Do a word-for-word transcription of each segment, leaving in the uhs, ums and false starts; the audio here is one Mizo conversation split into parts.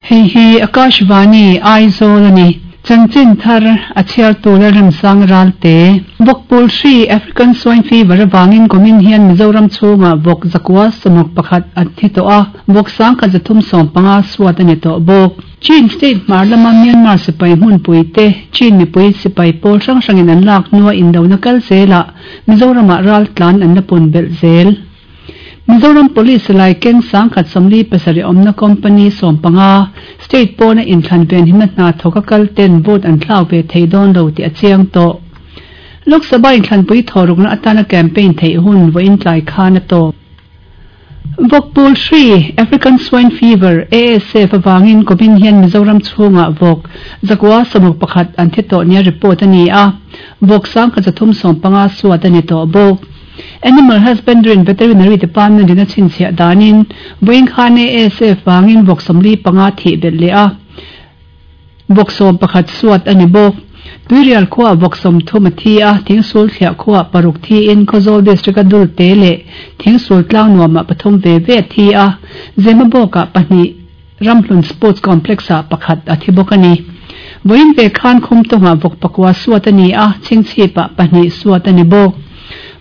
Hei hi Akashvani Aizawl a ni. Chanchin thar a chhiartu Lalremsang Ralte. Vawkpul hri, African Swine Fever, avangin kumin hian Mizoram chhungah vawk zakua sawmruk pakhat an thi tawh a, vawk sangkhat zathum sawm panga suat a ni tawh bawk. Chin State hmar lama Myanmar sipai hmunpui te Chin mipui sipai pawl hrang hrangin an lak hnua indona kal zelah Mizoramah ral tlan an la pun belh zel. Mizoram Police silai keng sangkhat sawmli pasarih awmna company sawm panga state pawna inthlan venhimna hna thawka kal ten vote an thlak ve thei dawn lo tih a chiang tawh. Lok Sabha inthlanpui thawhrukna atana campaign theih hun vawiin tlai khan a tawp. Vawkpul hri, African Swine Fever, A S F, avangin kumin hian Mizoram chhungah vawk zakua sawmruk pakhat an thi tawh nia report a ni a, vawk sangkhat zathum sawm panga suat a ni tawh bawk. Animal Husbandry and Veterinary Department in a chhinchhiah danin vawiin khan A S F vangin vawk sawmli panga thih belh leh a, vawk sawm pakhat suat a ni bawk. Tuirial khuaah vawk sawmthum a thi a, Thingsul thliah khuaah paruk thiin Khawzawl District a dul te leh Thingsul tlang nuamah pathum ve ve a thi a, Zemabawkah pahnih, Ramhlun Sports Complex-ah pakhat a thi bawk a ni. Vawiin ve khan Khumtawngah vawk pakua suat a ni a, Chhingchhipah pahnih suat a ni bawk.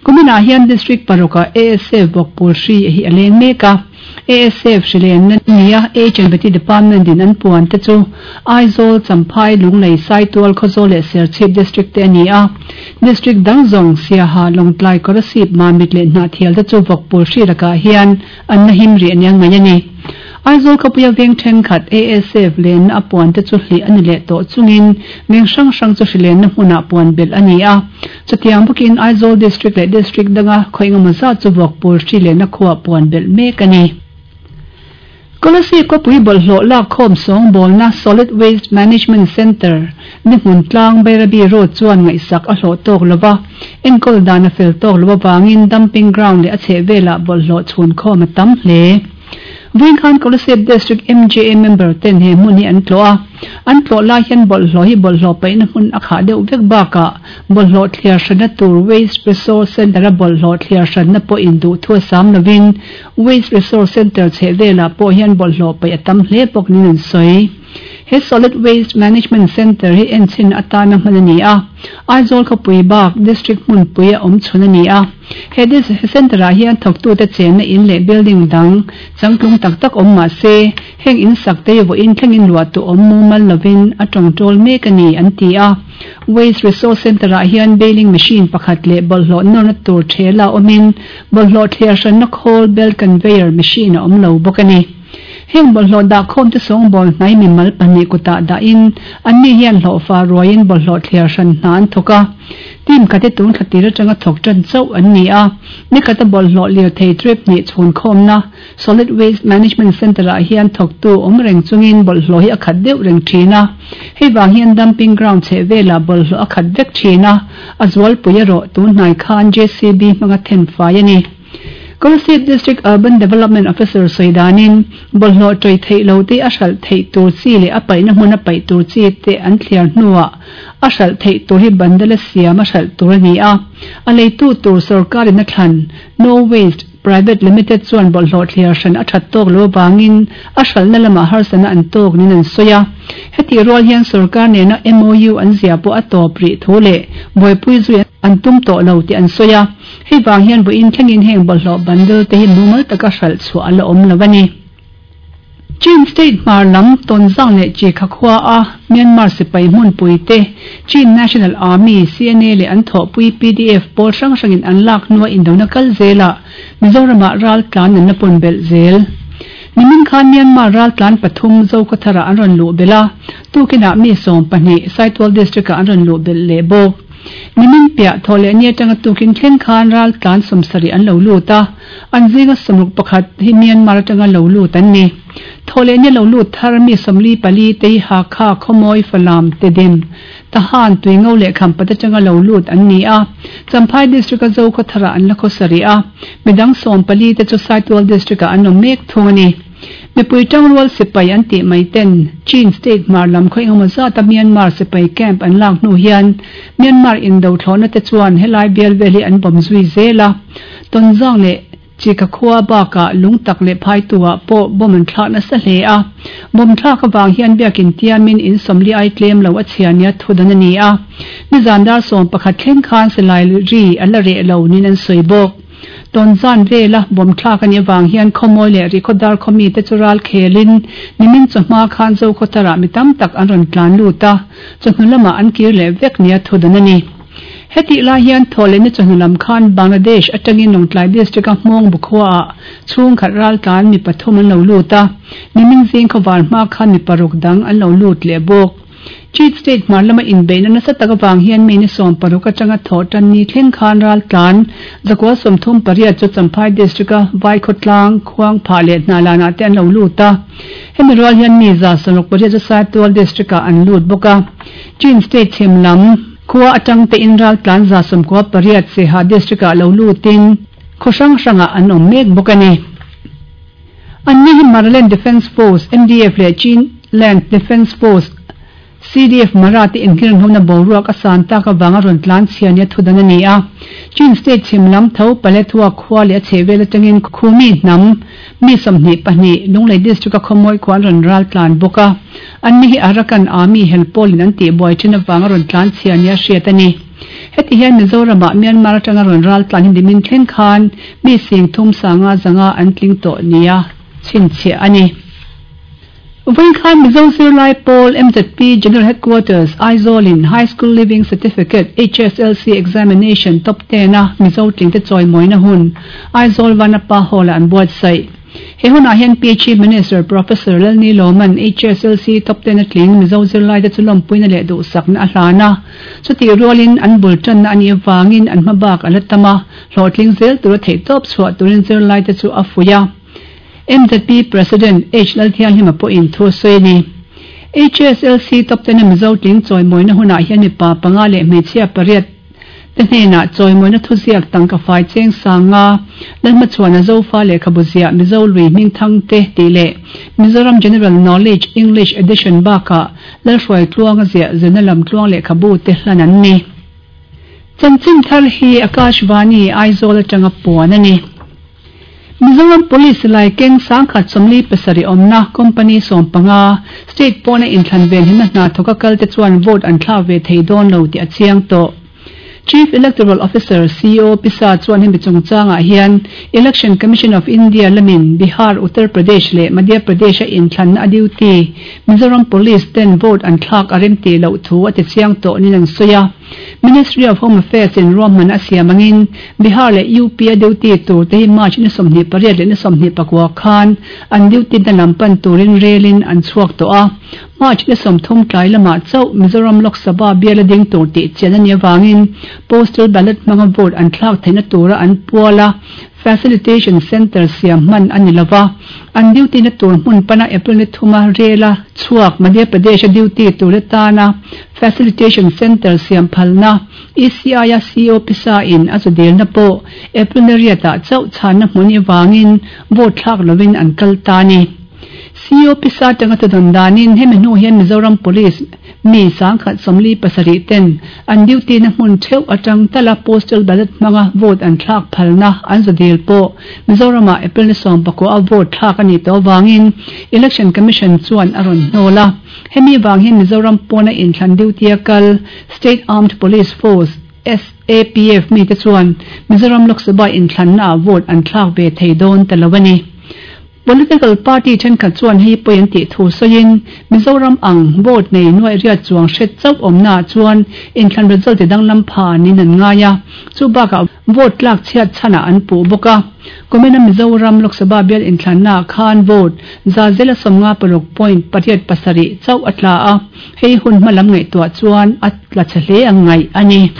Kuminah hian District parukah A S F vawk pawl hri hi a leng mek a. A S F hrilenna nia H and Vety Department in an puan te chu Aizawl, Champhai, Lunglei, Saitual, Khawzawl leh Serchhip District te a ni a. District dang zawng Siaha, Lawngtlai, Kolasib, Mamit leh Hnahthial te chu vawk pawl hri lakah hian an la him rih ania ngaih a ni. Aizawl khawpuia veng thenkhat A S F lenna a puan te chu hlih a ni leh tawh chungin veng hrang hrang chu hrilenna hmunah puan belh a ni a. Chutiang bawkin Aizawl District leh District danga khawi engemaw zat chu vawk pawl hri lenna khuaah puan belh mek a ni. Kolasib khawpui bawlhhlawh lak khawm sawngbawlna Solid Waste Management Centre ni hmun tlang Bairabi Road chuan ngaihsak a hlawh tawk lo va, enkawl dan a fel tawk lo avangin dumping ground leh a chhehvelah bawlhhlawh chhun khawm a tam hle. Vawiin khan Kolasib District M J A member ten he hmun hi an tlawh a, an tlawh lai hian bawlhhlawh hi bawlhhlawh paihna hmun a khah deuh vek bakah bawlhhlawh thliar hranna tur Waste Resource Centre a bawlhhlawh thliar hranna pawh induh thu a sam lovin Waste Resource Centre chhehvelah pawh hian bawlhhlawh paih a tam hle bawk niin an sawi. He Solid Waste Management Centre hi enchhin atana hman a ni a, Aizawl khawpui bak District hmunpui a awm chhun a ni a. He District Centre-ah hian thawktute chenna in leh building dang changtlung tak tak awm mah se, heng in sak te hi vawiin thlengin luah tu awm mumal lovin a tawngtawl mek a ni, an ti a. Waste Resource Centre-ah hian baling machine pakhat leh bawlhhlawh nawrna tur thela awmin bawlhhlawh thliar hranna khawl, belt conveyor machine, a awm lo bawk a ni. Heng bawlhhlawh dahkhawm te sawngbawl hnai mimal pahnih kutah dahin anni hian hlawhfa ruaiin bawlhhlawh thliar hran hna an thawk a. Team khat hi tun thla tir atanga thawk tan chauh an ni a. Nikhata bawlhhlawh lirthei trip hnih chhunkhawmna Solid Waste Management Centre-ah hian thawktu awm reng chungin bawlhhlawh hi a khat deuh reng thin a. Hei vang hian dumping ground chheh velah bawlhhlawh a khat vek thin a, a zualpui erawh tun hnai khan J C B hmanga then fai a ni. Kolasib District Urban Development Officer sawi danin, bawlhhlawh ṭawih theih lo te a hralh theih tur chi leh a paihna hmun a paih tur chi te an thliar hnuah a hralh theih tur hi bandala siam a hralh tur a ni a. A leitu tur sorkarin a thlan No Waste Private Limited chuan bawlhhlawh thliar hran a ṭhat tawk lo avangin a hralhna lamah harsatna an tawk niin an sawi a. Hetih rual hian sorkar nena M O U an zia pawh a tawp rih thu leh buaipui zui an tum tawh lo tih an sawi a. Hei vang hian vawiin thlengin heng bawlhhlawh bundle te hi mumal taka hralh chhuah a la awm lo a ni. Chin State hmar lam Tonzang leh Chikha khua a Myanmar sipai hmunpui te Chin National Army, C N A, leh an thawhpui P D F pawl hrang hrangin an lak hnua indona kal zelah Mizoramah ral tlan an la pawn belh zel. Nimin khan Myanmar ral tlan pathum Zokhawtharah an rawn luh belh a, tukinah mi sawm pahnih Saitual District-ah an rawn luh belh leh bawk. Nimin piah thaw leh ni atanga tukin thleng khan ral tlan sawmsarih an lo lut a, an zinga sawmruk pakhat hi Myanmar atanga lo lut an ni. Thaw leh ni lo lut thar mi sawmli pali te hi Hakha, Khawmawi, Falam, Tedim, Tahan, Tuingo leh Khampat atanga lo lut an ni a. Champhai District a Zokhawtharah an la khawsarih a, midang sawm pali te chu Saitual District ah an awm mek thung a ni. Mipui tangrual sipai an tih mai ten Chin State hmar lam khaw engemaw zata Myanmar sipai camp an lak hnu hian Myanmar indo thlawhna te chuan helai bial vel hi an bawm zui zel a. Tonzang leh Chika khua baka lungtak le phai tuwa po bom an thlak na sa hle a bom thlak awang hian biakin tiamin in somli ai tlem lo a chiania thudan ani a ni zandar som pakhat thleng khan selai ri ala re lo nin an soibok ton zan vela bom thlak ani awang hian khomoi le ri khodar khomi te chural khelin nimin chawhma khan zo khotara mitam tak an ron tlan luta chawhnu lama an kir le vek nia thudan ani. Heti la hian thole ni chawhnu khan Bangladesh atangin Lawngtlai district a hmawng bukhua chung khat ral tlan mi pathum an lo luta nimin zing khawar hma khan mi paruk dang an lo lut le bawk. Chief State Marlama in Bain na sa tagawang hian mi ni som paruk atanga thotan ni thleng khan ral tlan zakwa somthum pariat chu Champhai district a vai khotlang khuang pha le na la na te an lo luta hemi rual hian mi za sonok pariat chu Saitual district a an lut boka. Chin State chhimlam khua atang te in ral tlan za somkwa pariat se ha district a lo lutin khosang sanga an om mek bokani. Anni hi Maraland Defense Force M D F le Chin Land Defense Force C D F Marathi inkiran hona boruak asan ta ka wanga ron tlan chiania thudan ani a. Chin State chimlam tho palethua khua le chewel atangin khumi nam mi somni pahni Lunglei district a khomoi khwan ron ral tlan boka anni hi Arakan Army helpolin an ti boi thina wanga ron tlan chiania hriatani. Heti hian Mizoram ah Myanmar atanga ron ral tlan hin dimin thlen khan mi sing thum sanga zanga an tling to nia chin che ani. Khan Mizo Zirlai Pawl M Z P General Headquarters Aizawl in High School Leaving Certificate H S L C Examination Top ten a Mizo tling te chawi mawina hun Aizawl Vanapa Hall an buatsaih. He hunah hian P H Minister Professor Lalni Loman H S L C Top ten a tling Mizo Zirlai te chu lawmpuina leh duhsakna a hlana chuti rualin an bul tanna ani awangin an hmabak a la tama hlawhtling zel tura theihtawp chhuah turin zirlai te chu a fuih a. M Z P President H Lalthiang hima po in thu soini. H S L C Top ten Mizo tling chawi mawina hunah hian mi pa panga leh hmeichhia pariat te hnenah chawi mawina thuziak tangka fai cheng sanga lalhma chuan a zofa lehkhabuzia Mizo lui hming thang te tih leh Mizoram General Knowledge English Edition baka lalhruai tluanga ziah zirna lam tluang lehkhabu te hlan an ni. Chanchin thar hi Akashvani Aizawl atanga puan ani. Mizoram Police lai keng sangkhat somli pasari omna company sompanga state pawna inthlan ven hinna hna thoka kal te chuan vote an thla ve thei dawn lo ti a chiang to. Chief Electoral Officer C O Pisa chuan hemi chungchangah hian Election Commission of India lamin Bihar, Uttar Pradesh le Madhya Pradesh a inthlan a duty Mizoram Police ten vote an thlak a rem ti lo thu a ti chiang to nin an sawi. Ministry of Home Affairs in Roman a siamangin Bihar le U P a duty tur te hi March ni sawmhnih pariat leh ni sawmhnih pakua khan an duty na lampan turin relin an chhuak tawh a. March ni sawmthum tlai lamah chauh Mizoram Lok Sabha bial a ding tur tih chian ani awangin postal ballot hmanga vote an thlak theihna tura an puala Facilitation Center siam hman ani lova an duty na tur hmun pana April ni thuma rela chhuak Madhya Pradesh a duty tur tana Facilitation Center siam phalna E C I a C O Pisa in a chudil na po April ni riata chauh chhanna hmun awangin vote thlak lovin an kal ta ni. C O Pisa tanga tudon danin hemi hnu hian Mizoram Police mi sangkhat somli pasarih ten an duty na hmun theuh atang tala postal ballot hmanga vote an thlak phalna an zadil pawh Mizoramah April ni sawm pakua a vote thlak ani tawh awangin Election Commission chuan a rawn hnawl a. Hemi wang hian Mizoram pawna inthlan duty a kal State Armed Police Force S A P F mi te chuan Mizoram Lok Sabha inthlan na vote an thlak ve thei dawn ta lo ani. Political party thenkhat chuan hei pawh an tih thu sawiin Mizoram ang vote nei nuai riat chuang hret chauh awmna chuan inthlan result ti danglam pha nin an ngai a. Chu bakah vote tlak chhiat chhanah an puh bawk a. Kumina Mizoram Lok Sabha bial inthlanna khan vote za zela sawmnga paruk point pariat pasarih chauh a tla a. Hei hun hmalam ngaihtuah chuan a tla che hle ang ngaih ani.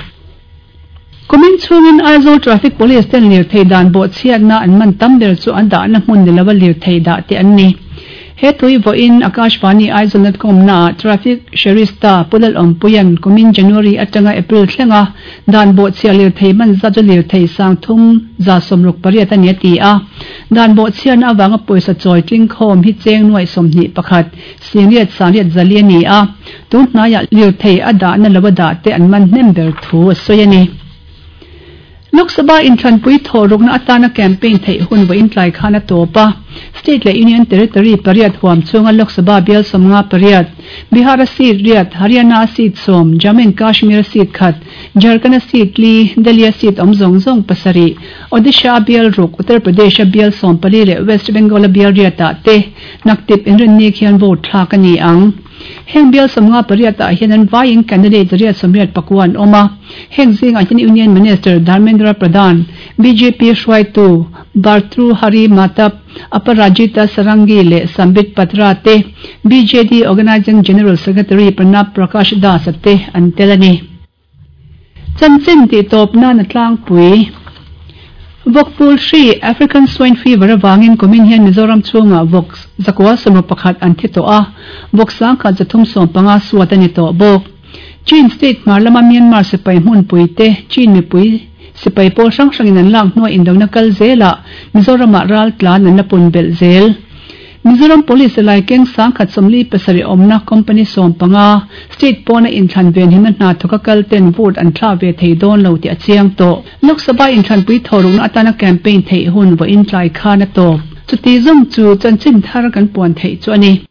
Kumin chungin Aizawl Traffic Police ten lir thei dan bawh chhiatna an man tam ber chu an dahna hmun ni lova lir thei dah te an ni. He tui vawiin Akashvani Aizawl dot com na Traffic Sherista Pulal Awmpuian kumin January atanga April thlenga dan bawh chhia lir thei man za chu lir thei sang thum za sawmruk pariat ani a ti a. Dan bawh chhiatna awanga pawisa chawi tling khawm hi cheng nuai sawmhnih pakhat singriat sangriat zali ani a. Tun hnaiah lir thei a dahna lova dah te an man hnem ber thu a sawi ani. Lok Sabha inthlanpui thawhrukna atana campaign theih hun vawiin tlai khan a tawp a. State leh Union Territory pariat huam chhunga Lok Sabha bial sawmnga pariat, Bihar-a seat riat, Haryana-a seat sawm, Jammu and Kashmir-a seat khat, Jharkhand-a seat li, Delhi-a seat awm zawng zawng pasarih, Odisha-a bial ruk, Uttar Pradesh-a bial sawm pali leh West Bengal-a bial riatah te naktip inrinni khian vote thlak a ni ang. Heng bial sawmnga pariatah hian an vaiin candidate riat sawmriat pakua an awm a. Heng zingah hian Union Minister Dharmendra Pradhan, bjp hruaitu Bhartruhari Mahtab, Aparajita Sarangi leh Sambit Patra te, BJD Organising General Secretary Pranab Prakash Das a te an tel a ni. Chanchin tih tawp nan a tlangpui. Vawkpul hri, African Swine Fever, avangin kumin hian Mizoram chhungah vawk zakua sawmraw pakhat an thi tawh a, vawk sangkhat zathum sawm panga suat a ni tawh bawk. Chin state hmar lama Myanmar sipai hmunpui te Chin mipui sipai pawl hrang hrangin an lak hnuah indona kal zelah Mizoramah ral tlan an la pun belh zel. Mizoram Police lai keng sangkhat sawmli pasarih awmna company sawm panga state pawna inthlan venhimna hna thawka kal ten vote an thla ve thei dawn lo tih a chiang tawh. Lok Sabha inthlanpui thawhrukna atana campaign theih hun vawiin tlai khan a tawp. Chuti zawng chu chanchin thar kan puan theih chu a ni.